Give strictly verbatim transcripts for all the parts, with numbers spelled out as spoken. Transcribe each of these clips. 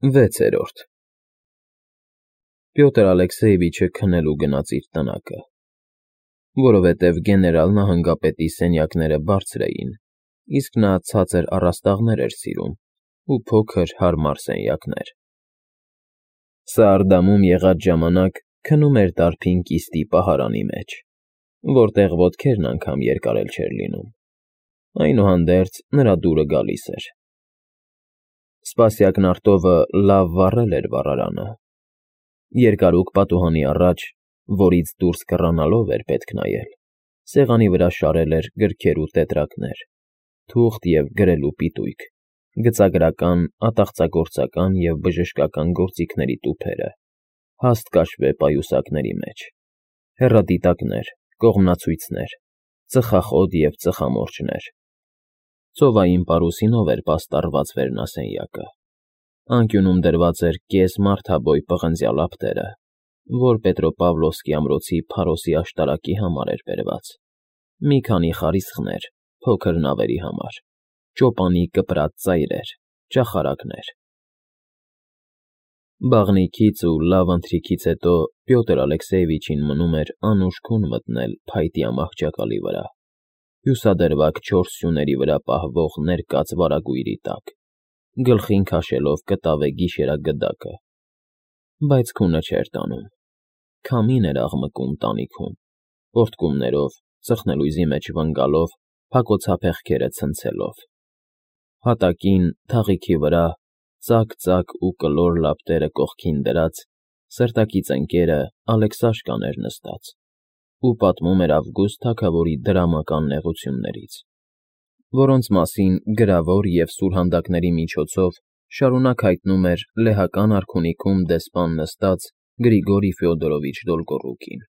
Վեցերորդ Պյոտր Ալեքսեևիչը քնելու գնաց իր տնակը, որովհետև գեներալ նահանգապետի սենյակները բարձր էին, իսկ նա ցածր առաստաղներ էր սիրում ու փոքր, հարմար սենյակներ. Սարդամում եղած ժամանակ քնում էր դարբին կիստի պահարանի մեջ, որտեղ ոտքերն անգամ երկար էլ չէր լինում, այնուհանդերձ նրա դուրը գալիս էր. Սպասյակ Նարտովը լավ վառել էր վառարանը, երկարուկ պատուհանի առաջ, որից դուրս կռանալով էր պետք նայել, սեղանի վրա շարել էր գրքեր ու տետրակներ, թուղթ և գրելու պիտույք, գծագրական, ատաղծագործական և բժշկական գործիքների տուփերը, հաստ կաշվե պայուսակների մեջ, հեռադիտակներ, կողմնացույցներ, ծխախոտ և ծխամորճներ. ծովային պարուսինով էր պաստառված վերնասենյակը, անկյունում դրված էր կես մարդաբոյ պղնձյալ ապտերը, որ Պետրոպավլովսկի ամրոցի փարոսի աշտարակի համար էր բերված, մի քանի խարիսխներ փոքր նավերի համար, ճոպանի կպրած ծայրեր, ճախարակներ. Բաղնիքից ու լավ ընթրիքից հետո Պյոտր Ալեքսեևիչին մնում էր անուշ քուն մտնել փայտյա մահճակալի վրա, հյուսադրվակ չորս սյուների վրա պահվող ներկած վարագույրի տակ, գլխին քաշելով կտավե գիշերագդակը, բայց քունը չէր տանում, քամին էր աղմկում տանիքում, պոռթկումներով, ծխնելույզի մեջ վնգալով, փակոցափեղկերը ցնցելով, հատակին, թաղիքի վրա, ծակ-ծակ ու կլոր լապտերը կողքին դրած, սրտակից ընկերը Ալեքսաշկան էր նստած ու պատմում էր Ավգուստ թագավորի դրամական նեղություններից, որոնց մասին գրավոր և սուրհանդակների միջոցով շարունակ հայտնում էր լեհական արքունիքում դեսպան նստած Գրիգորի Ֆյոդորովիչ Դոլգոռուկին.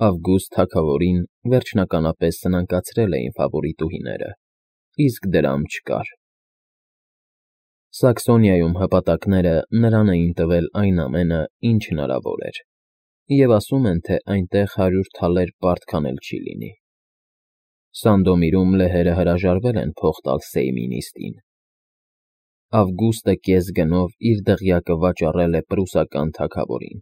Ավգուստ թագավորին վերջնականապես սնանկացրել էին ֆավորիտուհիները, իսկ դրամ չկար. Սաքսոնիայում հպատակները նրան էին տվել այն ամենը, ինչ հնարավոր էր, և ասում են, թե այնտեղ հարյուր թալեր պարտքան էլ չի լինի. Սանդոմիրում լեհերը հրաժարվել են փող տալ Սեյմի նիստին. Ավգուստը կես գնով իր դղյակը վաճառել է պրուսական թագավորին,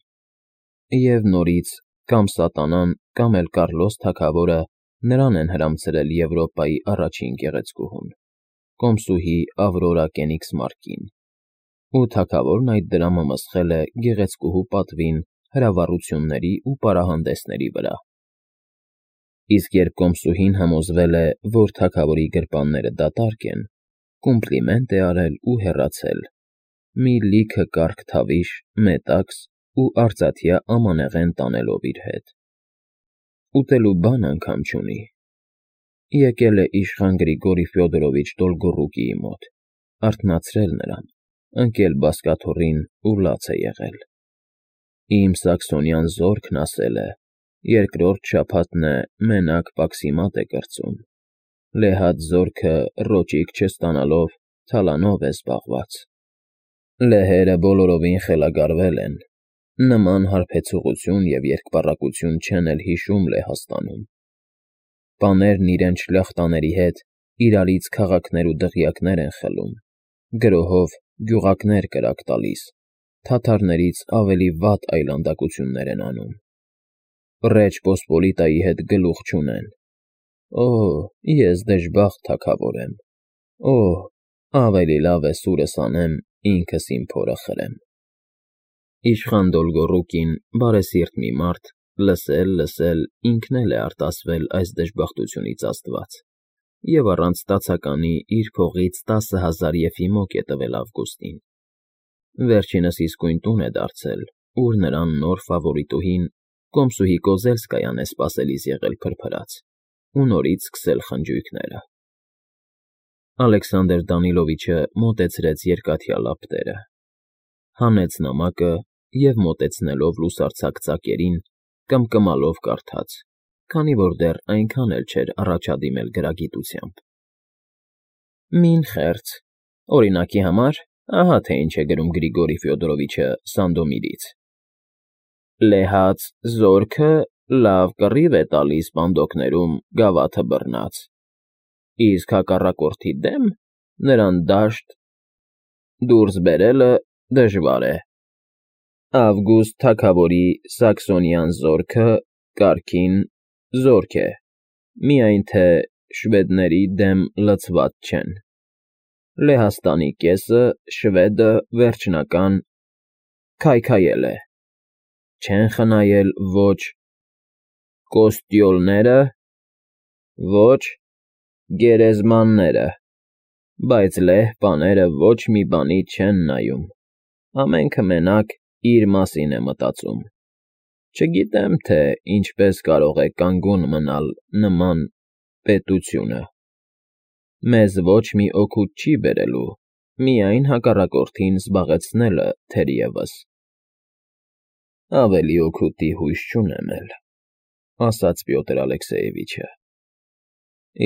և նորից կամ սատանան, կամ էլ Կառլոս թագավորը նրան են հրամցրել Եվրոպայի առաջին գեղեցկուհուն, կոմսուհի Ավրորա Կենիգսմարկին, ու թագավորն այդ դրամը մսխել է գեղեցկուհու պատվին հրավառությունների ու պարահանդեսների վրա, իսկ երբ կոմսուհին համոզվել է, որ թագավորի գրպանները դատարկ են, կոմպլիմենտ է արել ու հեռացել, մի լիքը կառք թավիշ, մետաքս ու արծաթյա ամանեղեն տանելով իր հետ. ուտելու բան անգամ չունի, եկել է իշխան Գրիգորի Ֆյոդորովիչ Դոլգոռուկիի մոտ, արթնացրել նրան, ընկել բազկաթոռին ու լաց է եղել. Իմ սաքսոնյան զորքն ասել է, երկրորդ շաբաթն է մենակ պաքսիմատ է կրծում, լեհած զորքը ռոճիկ չստանալով թալանով է զբաղված, լեհերը բոլորովին խելագարվել են, նման հարբեցողություն և երկպառակություն չեն էլ հիշում Լեհաստանում, պաներն իրենց շլյախտաների հետ իրարից քաղաքներ ու դղյակներ են խլում, գրոհով գյուղակներ կրակ տալիս, թաթարներից ավելի վատ այլանդակություններ են անում, Ռեջ Պոսպոլիտայի հետ գլուխ չունեն, օհ, ես դժբախտ թագավոր եմ, օհ, ավելի լավ է սուրս անեմ, ինքս իմ փորը խրեմ։ Իշխան Դոլգոռուկին, բարեսիրտ մի մարդ, լսել, լսել, ինքն էլ է արտասվել այս դժբախտությունից աստված և առանց ստացականի իր փողից տասը հազար եֆիմոկ է տվել Ավգուստին, վերջինս իսկույն տուն է դարձել, ուր նրան նոր ֆավորիտուհին, կոմսուհի Կոզելսկայան է սպասելիս եղել փրփրած ու նորից սկսել խնջույքները։ Ալեքսանդր Դանիլովիչը մոտեցրեց երկաթյա լապտերը, հանեց նամակը և մոտեցնելով լուսարձակ ծակերին, կմկմալով կարդաց, քանի որ դեռ այնքան էլ չէր առաջադիմել գրագիտությամբ. Մին խերց, օրինակի համար, ահա թե ինչ է գրում Գրիգորի Ֆյոդորովիչը Սանդոմիրից. Լեհած զորքը լավ կռիվ է տալիս պանդոկներում գավաթը բռնած, իսկ հակառակորդի դեմ նրան դաշտ դուրս բերելը դժվար է։ Ավգուստ թագավորի սաքսոնյան զորքը կարգին զորք է, միայն թե շվեդների դեմ լցված չեն։ Լեհաստանի կեսը շվեդը վերջնական քայքայել է, չեն խնայել ոչ կոստյոլները, ոչ գերեզմանները, բայց լեհ պաները ոչ մի բանի չեն նայում, ամենքը մենակ իր մասին է մտածում։ Չգիտեմ, թե ինչպես կարող է կանգուն մնալ նման պետությունը։ Մեզ ոչ մի օգուտ չի բերելու, միայն հակառակորդին զբաղեցնելը թերևս։ Ավելի օգուտի հույս չունեմ էլ, ասաց Պյոտր Ալեքսեևիչը։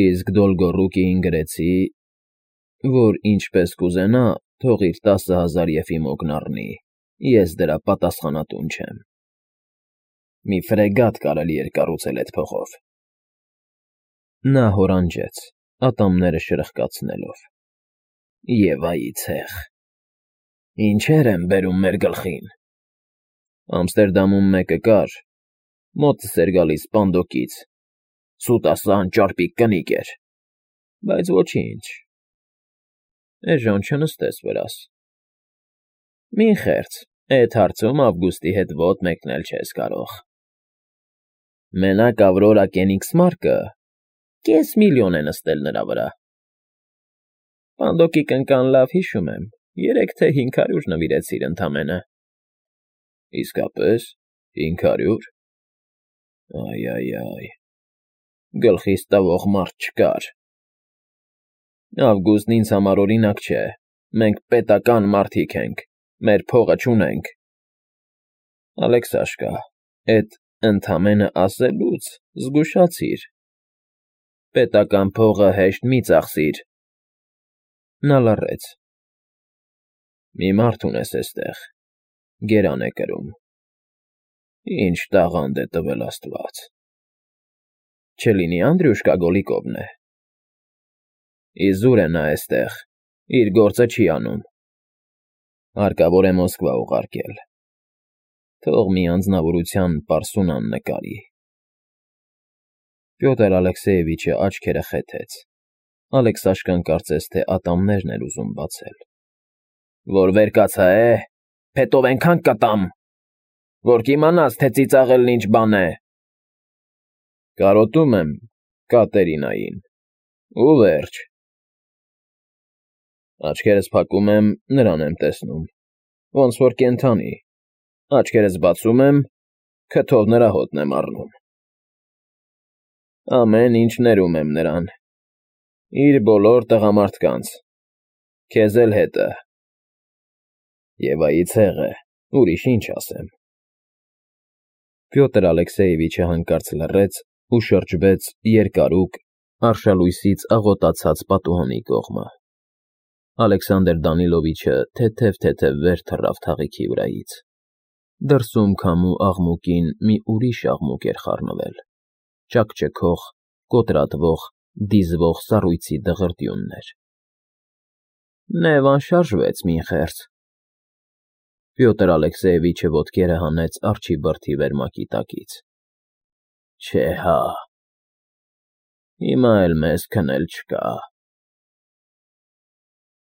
Իսկ Դոլգոռուկիին գրեցի, որ ինչպես կուզենա, թող իր տասը հազար եֆիմոգն առնի, ես դրա պատասխանատուն չեմ։ Մի ֆրեգատ կարելի էր կառուցել էդ փողով։ Նա հորանջեց, ատամները շրխկացնելով։ Եվայի ցեղ։ Ինչեր են բերում մեր գլխին։ Ամստերդամում մեկը կար, մոտս էր գալիս Պանդոկից, սուտասան ճարպիկ կնիկ էր, բայց ոչինչ։ Էժան չնստես վրաս։ Մի խեղճ, էդ հարցում Ավգուստի հետ ոտք մեկնել չես կարող։ Մենակ Ավրորա Կենիգսմարկը կես միլիոն է նստել նրա վրա։ Պանդոկի կնկան լավ հիշում եմ, երեք թե հինգ հարյուր նվիրեցիր ընդամենը։ Իսկապես, հինգ հարյու՞ր։ Այ֊այ֊այ, գլխիս տվող մարդ չկար։ Ավգուստն ինձ համար օրինակ չէ, մենք պետական մարդիկ ենք, մեր փողը չունենք։ Ալեքսաշկա, էդ ընդամենը ասելուց զգուշացիր։ Պետական փողը հեշտ մի ծախսիր։ Նա լռեց։ Մի մարդ ունես էստեղ, գերան է կրում։ Ինչ տաղանդ է տվել աստված։ Չլինի Անդրյուշկա Գոլիկովն է։ Իզուր է նա էստեղ, իր գործը չի անում։ Հարկավոր է Մոսկվա ուղարկել։ Թող մի անձնավորության պարսունան նկարի։ Պյոտր Ալեքսեևիչը աչքերը խեթեց։ Ալեքսաշկան կարծես թե ատամներն էր ուզում բացել։ Որ վեր կացա է, փետով ենքան կտամ, որ կիմանաս, թե ծիծաղելն ինչ բան է։ Կարոտում եմ Կատերինային, ու վերջ։ Աչքերս փակում եմ, նրան եմ տեսնում, ոնց որ կենդանի, աչքերս բացում եմ, քթով նրա հոտն եմ առնում։ Ամեն ինչ ներում եմ նրան, իր բոլոր տղամարդկանց, քեզ էլ հետը։ Եվայի ցեղը, ուրիշ ինչ ասեմ։ Պյոտր Ալեքսեևիչը հանկարծ լռեց ու շրջվեց երկարուկ, արշալույսից աղոտացած պատուհանի կողմը։ Ալեքսանդր Դանիլովիչը թեթև-թեթև վեր թռավ թաղիքի վրայից։ Դրսում քամու աղմուկին մի ուրիշ աղմուկ էր խառնվել, ճաքճքող, կոտրատվող, դիզվող սառույցի դղրդյուններ։ Նևան շարժվեց մի խեղճ։ Պյոտր Ալեքսեևիչը ոտքերը հանեց արջի բրդի վերմակի տակից։ Չէ հա։ Հիմա էլ մեզ քնել չկա։